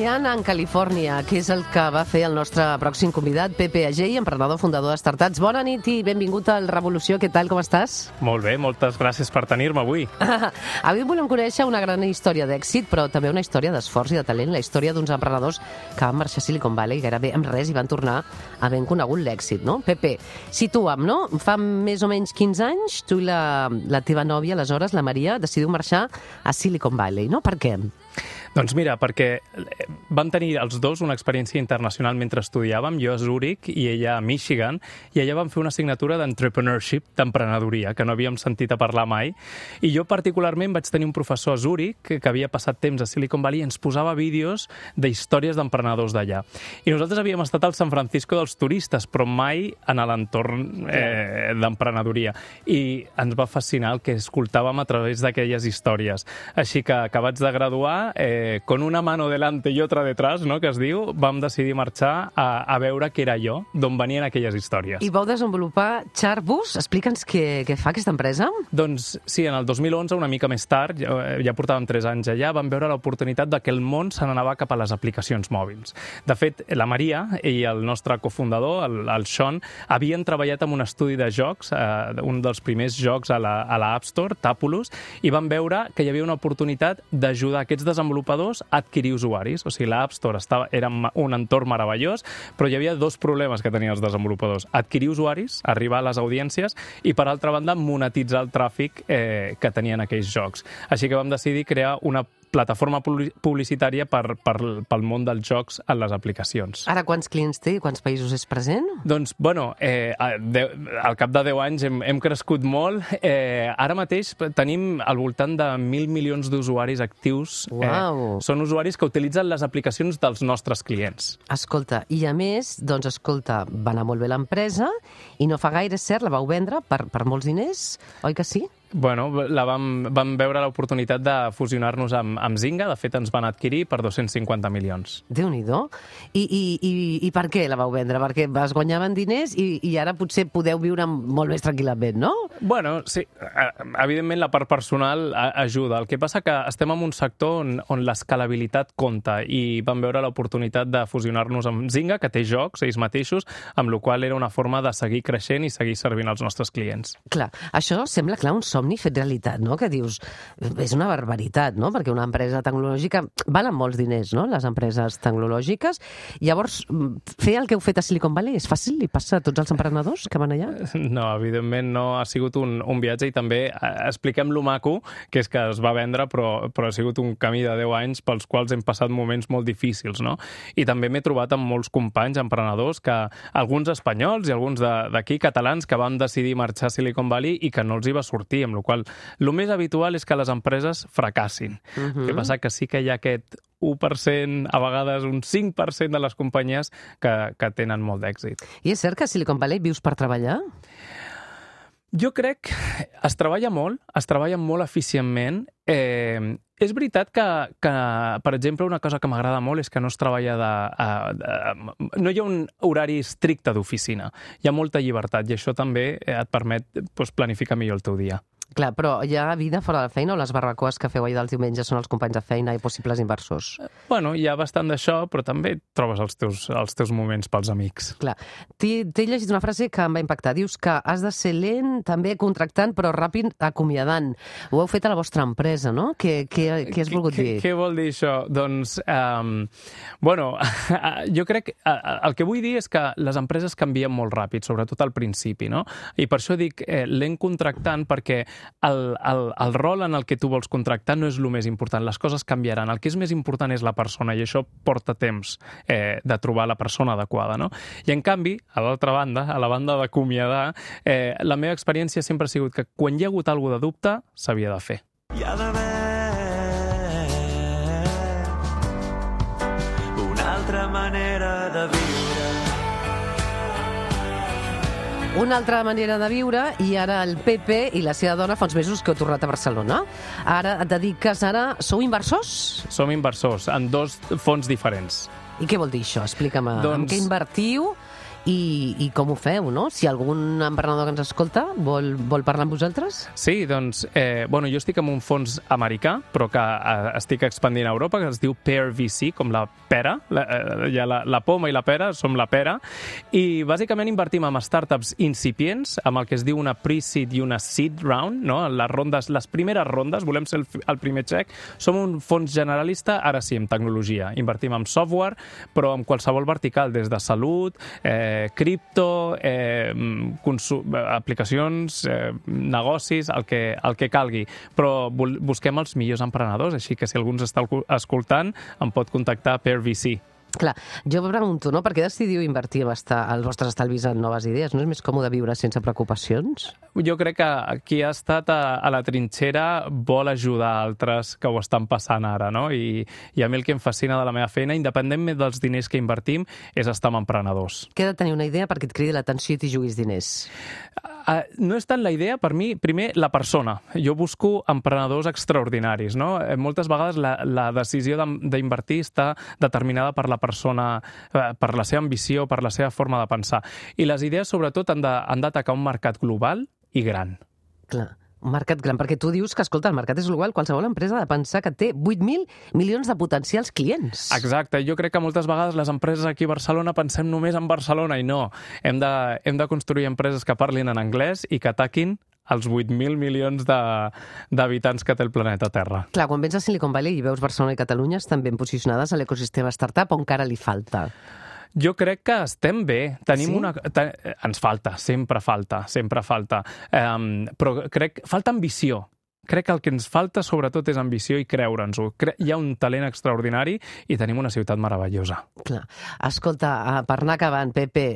Treballant en Califòrnia, que és el que va fer el nostre pròxim convidat, Pepe Agell, emprenedor, fundador de Startats. Bona nit i benvingut al Revolució. Què tal, com estàs? Molt bé, moltes gràcies per tenir-me avui. Avui volem conèixer una gran història d'èxit, però també una història d'esforç i de talent, la història d'uns emprenedors que van marxar a Silicon Valley gairebé amb res i van tornar havent conegut l'èxit, no? Pepe, situa'm, no? Fa més o menys 15 anys, tu i la teva nòvia, aleshores, la Maria, decidiu marxar a Silicon Valley, no? Per què? Doncs mira, perquè vam tenir els dos una experiència internacional mentre estudiàvem, jo a Zúrich i ella a Michigan, i allà vam fer una assignatura d'entrepreneurship, d'emprenedoria, que no havíem sentit a parlar mai. I jo particularment vaig tenir un professor a Zúrich que havia passat temps a Silicon Valley i ens posava vídeos d'històries d'emprenedors d'allà. I nosaltres havíem estat al San Francisco dels turistes, però mai en l'entorn d'emprenedoria. I ens va fascinar el que escoltàvem a través d'aquelles històries. Així que acabats de graduar, con una mano delante y otra detrás, no?, que es diu, vam decidir marxar a veure què era jo, d'on venien aquelles històries. I vau desenvolupar Chartbus. Explica'ns què fa aquesta empresa. Doncs sí, en el 2011, una mica més tard, ja portàvem 3 anys allà, vam veure l'oportunitat de que el món se n'anava cap a les aplicacions mòbils. De fet, la Maria i el nostre cofundador, el Sean, havien treballat en un estudi de jocs, un dels primers jocs a la App Store, Tapulous, i van veure que hi havia una oportunitat d'ajudar aquests desenvolupadors a adquirir usuaris. O sigui, l'App Store era un entorn meravellós, però hi havia 2 problemes que tenien els desenvolupadors. Adquirir usuaris, arribar a les audiències, i per altra banda, monetitzar el tràfic que tenien aquells jocs. Així que vam decidir crear una plataforma publicitària pel món dels jocs en les aplicacions. Ara quants clients té i quants països és present? Doncs, bueno, al cap de 10 anys hem crescut molt. Ara mateix tenim al voltant de 1.000 milions d'usuaris actius. Uau! Són usuaris que utilitzen les aplicacions dels nostres clients. Escolta, i a més, doncs, escolta, va anar molt bé l'empresa i no fa gaire, cert, la vau vendre per molts diners, oi que sí? Bueno, vam veure l'oportunitat de fusionar-nos amb Zynga. De fet, ens van adquirir per 250 milions. Déu-n'hi-do. I per què la vau vendre? Perquè es guanyaven diners i ara potser podeu viure molt més tranquil·lament, no? Bueno, sí. Evidentment, la part personal ajuda. El que passa que estem en un sector on l'escalabilitat compta i vam veure l'oportunitat de fusionar-nos amb Zynga, que té jocs, ells mateixos, amb la qual era una forma de seguir creixent i seguir servint als nostres clients. Clar, això sembla, clar, un somni fet realitat, no? Que dius, és una barbaritat, no? Perquè una empresa tecnològica valen molts diners, no?, les empreses tecnològiques. Llavors, fer el que heu fet a Silicon Valley és fàcil? Li passa a tots els emprenedors que van allà? No, evidentment no. Ha sigut un viatge i també expliquem lo maco, que és que es va vendre, però ha sigut un camí de 10 anys pels quals hem passat moments molt difícils, no? I també m'he trobat amb molts companys emprenedors, alguns espanyols i alguns d'aquí catalans, que van decidir marxar a Silicon Valley i que no els hi va sortir, amb la qual el més habitual és que les empreses fracassin. El que passa que sí que hi ha aquest 1%, a vegades un 5% de les companyies que tenen molt d'èxit. I és cert que a Silicon Valley vius per treballar? Jo crec que es treballa molt eficientment. És veritat que, per exemple, una cosa que m'agrada molt és que no es treballa no hi ha un horari estricte d'oficina. Hi ha molta llibertat i això també et permet planificar millor el teu dia. Clar, però hi ha vida fora de la feina o les barbacoes que feu ahir dels diumenges són els companys de feina i possibles inversors? Bueno, hi ha bastant d'això, però també trobes els teus moments pels amics. Clar. T'he llegit una frase que em va impactar. Dius que has de ser lent, també contractant, però ràpid acomiadant. Ho heu fet a la vostra empresa, no? Què has volgut dir? Què vol dir això? Doncs, jo crec que el que vull dir és que les empreses canvien molt ràpid, sobretot al principi, no? I per això dic lent contractant, perquè el rol en el que tu vols contractar no és el més important. Les coses canviaran. El que és més important és la persona i això porta temps de trobar la persona adequada, no? I en canvi, a l'altra banda, a la banda d'acomiadar, la meva experiència sempre ha sigut que quan hi ha hagut alguna de dubte, s'havia de fer. Hi ha d'haver una altra manera de viure. Una altra manera de viure, i ara el Pepe i la seva dona fa uns mesos que heu tornat a Barcelona. Ara et dediques, sou inversors? Som inversors en 2 fons diferents. I què vol dir això? Explica'm en què invertiu I com ho feu, no? Si algun emprenedor que ens escolta vol parlar amb vosaltres? Sí, doncs, bueno, jo estic en un fons americà, però que estic expandint a Europa, que es diu Pear VC, com la pera, hi ha la poma i la pera, som la pera, i bàsicament invertim en startups incipients, amb el que es diu una pre-seed i una seed round, no? Les primeres rondes, volem ser el primer xec. Som un fons generalista, ara sí, en tecnologia. Invertim en software, però en qualsevol vertical, des de salut, cripto, aplicacions, negocis, el que calgui. Però busquem els millors emprenedors, així que si algú ens està escoltant, em pot contactar per VC. Clar, jo pregunto, no? Per què decidiu invertir els vostres estalvis en noves idees? No és més còmode viure sense preocupacions? Jo crec que qui ha estat a la trinxera vol ajudar altres que ho estan passant ara, no? I a mi el que em fascina de la meva feina, independentment dels diners que invertim, és estar amb emprenedors. Què ha de tenir una idea perquè et cridi l'atenció i t'hi juguis diners? No és tant la idea, per mi, primer, la persona. Jo busco emprenedors extraordinaris, no? Moltes vegades la decisió d'invertir està determinada per la persona, per la seva ambició, per la seva forma de pensar. I les idees, sobretot, han d'atacar un mercat global i gran. Clar, un mercat gran, perquè tu dius que, escolta, el mercat és global, qualsevol empresa ha de pensar que té 8.000 milions de potencials clients. Exacte, jo crec que moltes vegades les empreses aquí a Barcelona pensem només en Barcelona i no. Hem de construir empreses que parlin en anglès i que ataquin els 8.000 milions d'habitants que té el planeta Terra. Clar, quan vens a Silicon Valley i veus Barcelona i Catalunya estan ben posicionades a l'ecosistema startup o encara li falta? Jo crec que estem bé. Tenim sí? Ens falta, sempre falta. Però crec que falta ambició. Crec que el que ens falta, sobretot, és ambició i creure'ns-ho. Hi ha un talent extraordinari i tenim una ciutat meravellosa. Clar. Escolta, per anar acabant, Pepe,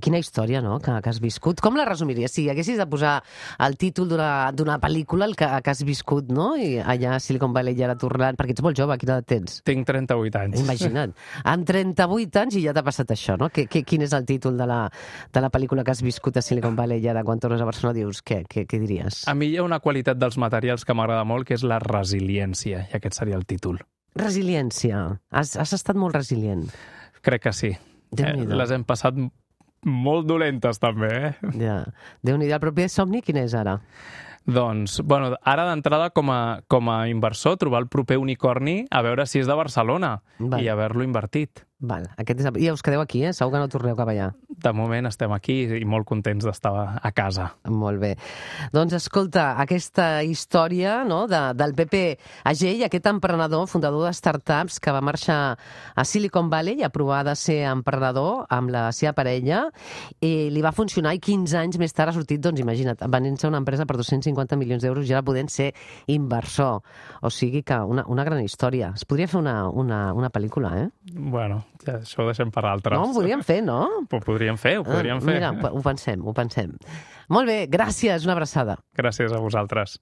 quina història, no?, que has viscut. Com la resumiries? Si haguessis de posar el títol d'una pel·lícula, el que has viscut, no?, i allà a Silicon Valley i ara tornant, perquè ets molt jove, quina edat tens? Tinc 38 anys. Imagina't. Amb 38 anys i ja t'ha passat això, no? Quin és el títol de la pel·lícula que has viscut a Silicon Valley i ara quan tornes a Barcelona dius, què diries? A mi hi ha una qualitat dels materials que m'agrada molt, que és la resiliència, i aquest seria el títol. Resiliència. Has estat molt resilient. Crec que sí. Les hem passat molt dolentes, també, Ja. Déu-n'hi-do. El proper somni quin és ara? Doncs, bueno, ara d'entrada com a inversor, trobar el proper unicorni, a veure si és de Barcelona i haver-lo invertit. Val. I us quedeu aquí, segur que no torneu cap allà. De moment estem aquí i molt contents d'estar a casa. Molt bé. Doncs escolta, aquesta història, no, del Pepe Agell, aquest emprenedor, fundador de startups que va marxar a Silicon Valley a provar de ser emprenedor amb la seva parella, i li va funcionar i 15 anys més tard ha sortit, doncs imagina't, venent-se una empresa per 250 milions d'euros i ara podent ser inversor. O sigui que una gran història. Es podria fer una pel·lícula, Bueno, ja, això ho deixem per altres. No, ho podríem fer, no? Ho podríem fer. Mira, ho pensem. Molt bé, gràcies, una abraçada. Gràcies a vosaltres.